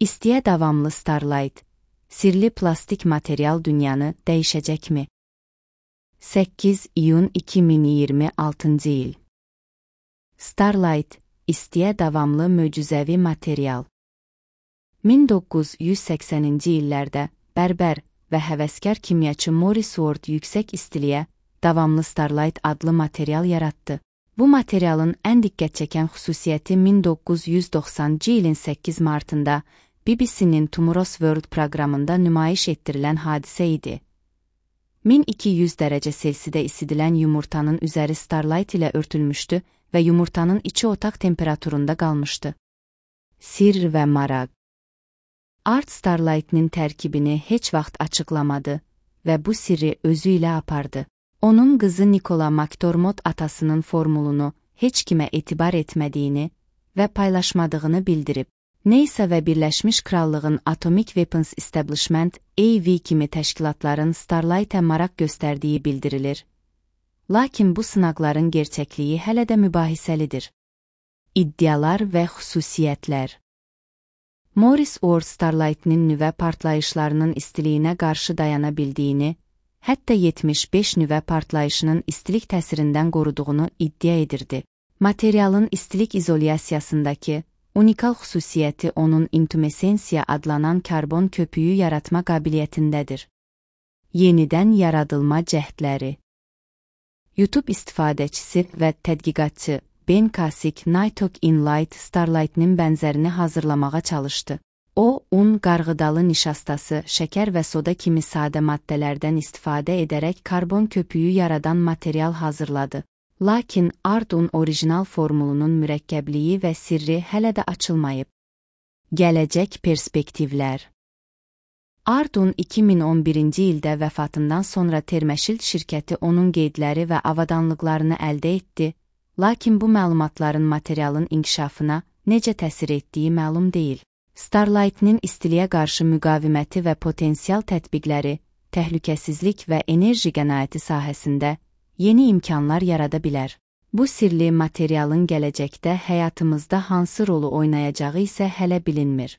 İstiyə davamlı Starlight, sirli plastik material dünyanı dəyişəcəkmi? 8 iyun 2026 il. Starlight, istiyə davamlı möcüzəvi material. 1980-ci illərdə bərbər və həvəskar kimyaçı Morris Ward yüksək istiliyə davamlı Starlight adlı material yaratdı. Bu materialın ən diqqət çəkən xüsusiyyəti 1990-cı ilin 8 martında BBC-nin Tomorrow's World proqramında nümayiş etdirilən hadisə idi. 1200 dərəcə Selsidə isidilən yumurtanın üzəri Starlight ilə örtülmüşdü və yumurtanın içi otaq temperaturunda qalmışdı. Sirr və maraq. Art Starlight'nin tərkibini heç vaxt açıqlamadı və bu sirri özü ilə apardı. Onun qızı Nicola McDormand atasının formulunu heç kimə etibar etmədiyini və paylaşmadığını bildirib. NASA və Birləşmiş Krallığın Atomic Weapons Establishment (AV) kimi təşkilatların Starlight'ə maraq göstərdiyi bildirilir. Lakin bu sınaqların gerçəkliyi hələ də mübahisəlidir. İddialar və xüsusiyyətlər. Morris Ward Starlight'nin nüvə partlayışlarının istiliyinə qarşı dayana bildiyini, hətta 75 nüvə partlayışının istilik təsirindən qoruduğunu iddia edirdi. Materialın istilik izolyasiyasındakı unikal xüsusiyyəti onun intumesensiya adlanan karbon köpüyü yaratma qabiliyyətindədir. Yenidən yaradılma cəhdləri. YouTube istifadəçisi və tədqiqatçı Ben Kasich Nighthawk in Light Starlight'nin bənzərini hazırlamağa çalışdı. O, un, qarğıdalı nişastası, şəkər və soda kimi sadə maddələrdən istifadə edərək karbon köpüyü yaradan material hazırladı. Lakin Ardun orijinal formulunun mürəkkəbliyi və sirri hələ də açılmayıb. Gələcək perspektivlər. Ardun 2011-ci ildə vəfatından sonra Thermashield şirkəti onun qeydləri və avadanlıqlarını əldə etdi, lakin bu məlumatların materialın inkişafına necə təsir etdiyi məlum deyil. Starlight'nin istiliyə qarşı müqaviməti və potensial tətbiqləri, təhlükəsizlik və enerji qənaəti sahəsində yeni imkanlar yarada bilər. Bu sirli materialın gələcəkdə həyatımızda hansı rolu oynayacağı isə hələ bilinmir.